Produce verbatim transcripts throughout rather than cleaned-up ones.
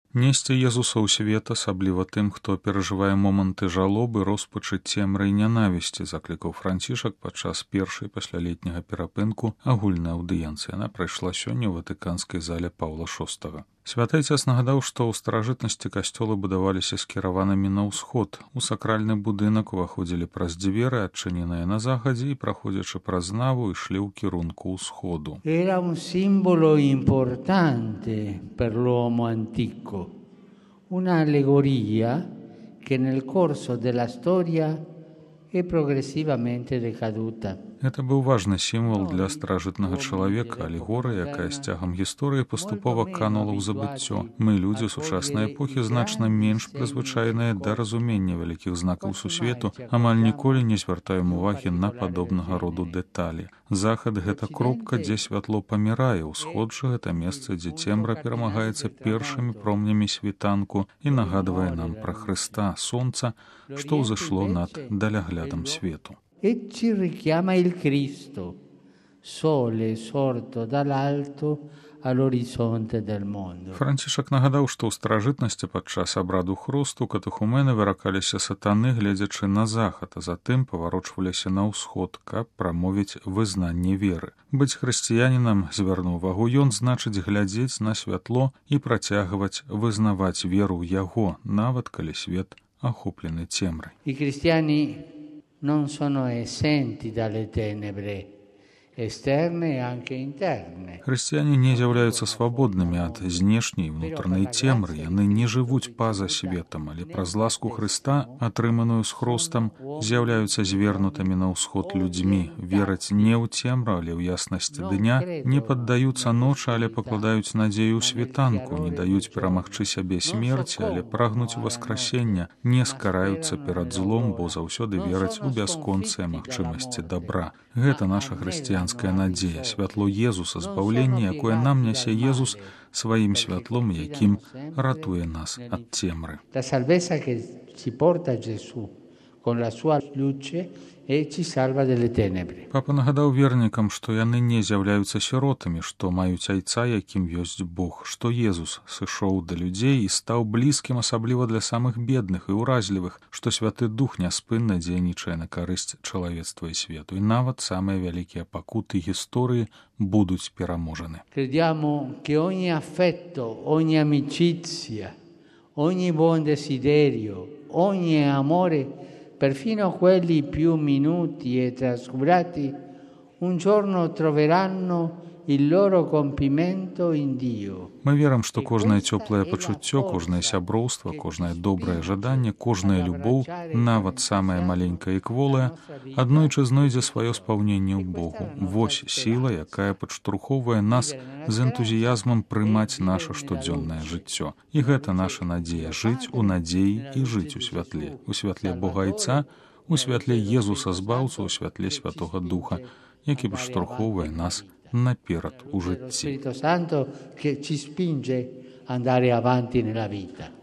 Несці Езуса ў свет, асабліва тым, хто перажывае моманты жалобы, роспачы, цемры і нянавісці, заклікаў Францішак падчас першай паслялетняга перапынку агульнай аўдыенцыі. Яна прайшла сёння ў ватыканскай зале Паўла шостага. Святы Отец нагадаў, што ў старажытнасці касцёлы будаваліся скіраванымі на ўсход. У сакральны будынак уваходзілі праз дзверы, адчыненыя на захадзе, і, праходзячы праз наву, ішлі ў кірунку ўсходу. Era un simbolo importante per l'uomo antico, una allegoria che nel corso della storia è progressivamente decaduta. Гэта быў важны сімвал для старажытнага чалавека, алегорыя, якая з цягам гісторыі паступова канула ў забыццё. Мы, людзі сучаснай эпохі, значна менш прызвычайныя да разумення вялікіх знакаў сусвету, амаль ніколі не звяртаем увагі на падобнага роду дэталі. Захад — гэта кропка, дзе святло памірае, ўсход жа — гэта месца, дзе цемра перамагаецца першымі промнямі світанку і нагадвае нам пра Хрыста, сонца, што ўзышло над даляглядам свету. E ci richiama il Cristo, sole sorto dall'alto all'orizzonte del mondo. Францішак нагадаў, што ў старажытнасці падчас абраду хросту катэхумены выракаліся сатаны, гледзячы на захад, а затым паварочваліся на ўсход, каб прамовіць вызнанне веры. Быць хрысціянінам, звярнуў увагу ён, значыць глядзець на святло і працягваць вызнаваць веру ў яго, нават калі свет ахоплены цемрай. I cristiani non sono esenti dalle tenebre esterne e anche interne. Хрысціяне не з'яўляюцца свабоднымі ад знешняй і ўнутранай цемры. Яны не жывуць па-за светам, але праз ласку Хрыста, атрыманую з хростам, з'яўляюцца звернутымі на ўсход людзьмі, вераць не ў цемру, але ў яснасць дня, не паддаюцца ночы, але пакладаюць надзею ў світанку, не даюць перамагчы сябе смерці, але прагнуць васкрасення, не скараюцца перад злом, бо заўсёды вераць у бясконцыя магчымасці дабра. Гэта наша хрысціянская надзея, святло Езуса, збаўленне, якое нам нясе Езус сваім святлом, якім ратуе нас ад цемры. La salvezza che ci porta Gesù con la sua luce e ci salva dalle tenebre. Папа нагадаў вернікам, што яны не з'яўляюцца сіротамі, што маюць айца, якім ёсць Бог, што Езус сышоў да людзей і стаў блізкім, асабліва для самых бедных і ўразлівых, што Святы Дух няспынна дзейнічае на карысць чалавецтва і свету, і нават самыя вялікія пакуты гісторыі будуць пераможаны. Crediamo che ogni affetto, ogni amicizia, ogni buon desiderio, ogni amore, perfino quelli più minuti e trascurati, un giorno troveranno il loro compimento in Dio. Мы верым, што кожнае цёплае пачуццё, кожнае сяброўства, кожнае добрае жаданне, кожная любоў, нават самая маленькая і кволая, аднойчы знойдзе сваё спаўненне ў Богу. Вось сіла, якая падштурхоўвае нас з энтузіязмам прымаць наша штодзённае жыццё. І гэта наша надзея — жыць у надзеі і жыць у святле. У святле Бога Айца, у святле Езуса Збаўца, у святле Святога Духа, які падштурхоўвае нас наперад у жыцці.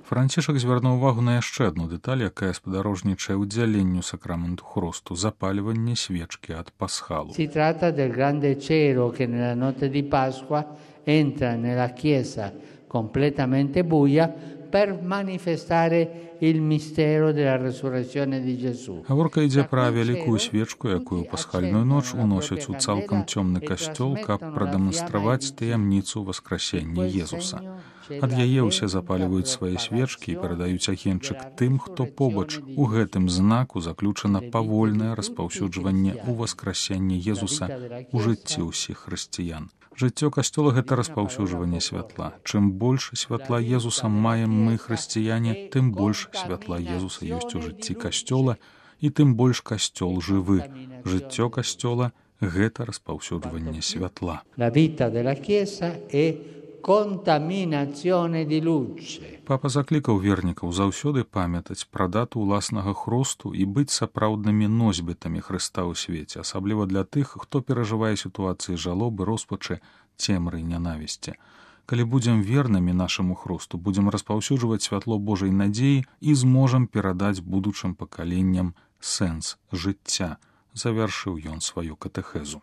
Францішак звярнуў увагу на яшчэ адну дэталь, якая спадарожнічае ўдзяленню сакраменту хросту — запальванне свечкі ад пасхалу. Si tratta del grande cero che nella notte di Pasqua entra nella chiesa completamente buia per manifestare il mistero della resurrezione di Gesù. Гаворка ідзе пра вялікую свечку, якую ў пасхальную ноч уносяць у цалкам цёмны касцёл, каб прадэманстраваць таямніцу васкрасення Езуса. Ад яе ўсе запальваюць свае свечкі і перадаюць агеньчык тым, хто побач. У гэтым знаку заключана павольнае распаўсюджванне ў васкрасення Езуса ў жыцці ўсіх хрысціян. Жыццё касцёла — гэта распаўсюджванне святла. Чым больш святла Езуса маем мы, хрысціяне, тым больш святла Езуса ёсць у жыцці касцёла, і тым больш касцёл жывы. Жыццё касцёла — гэта распаўсюджванне святла. La vita della Chiesa è contaminazione di luce. Папа заклікаў вернікаў заўсёды памятаць пра дату ўласнага хросту і быць сапраўднымі носьбітамі Хрыста ў свеце, асабліва для тых, хто перажывае сітуацыі жалобы, роспачы, цемры і нянавісці. Калі будзем вернымі нашаму хросту, будзем распаўсюджваць святло Божай надзеі і зможам перадаць будучым пакаленням сэнс жыцця, завяршыў ён сваю катэхезу.